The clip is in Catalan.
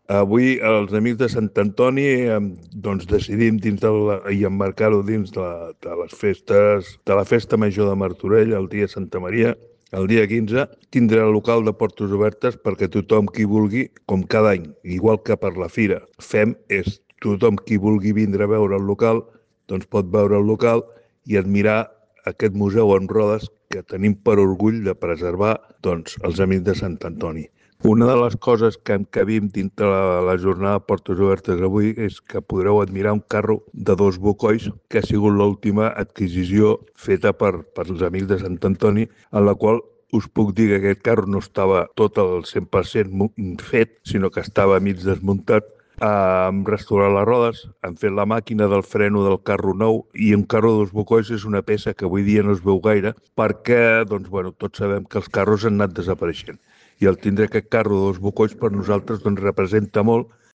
Avui els amics de Sant Antoni doncs decidim i emmarcar-ho dins de les festes, de la festa major de Martorell, el dia Santa Maria, el dia 15, tindrà el local de portes obertes perquè tothom qui vulgui, com cada any, igual que per la fira, fem és tothom qui vulgui vindre a veure el local, doncs pot veure el local i admirar aquest museu en rodes que tenim per orgull de preservar doncs, els amics de Sant Antoni. Una de les coses que encabim dintre la jornada de Portes Obertes avui és que podreu admirar un carro de 2 bocois que ha sigut l'última adquisició feta per els amics de Sant Antoni, en la qual us puc dir que aquest carro no estava tot al 100% fet, sinó que estava mig desmuntat. Hem restaurat les rodes, hem fet la màquina del freno del carro nou i un carro de 2 bocois és una peça que avui dia no es veu gaire perquè doncs, bueno, tots sabem que els carros han anat desapareixent i el tindre aquest carro de 2 bocois per nosaltres doncs, representa molt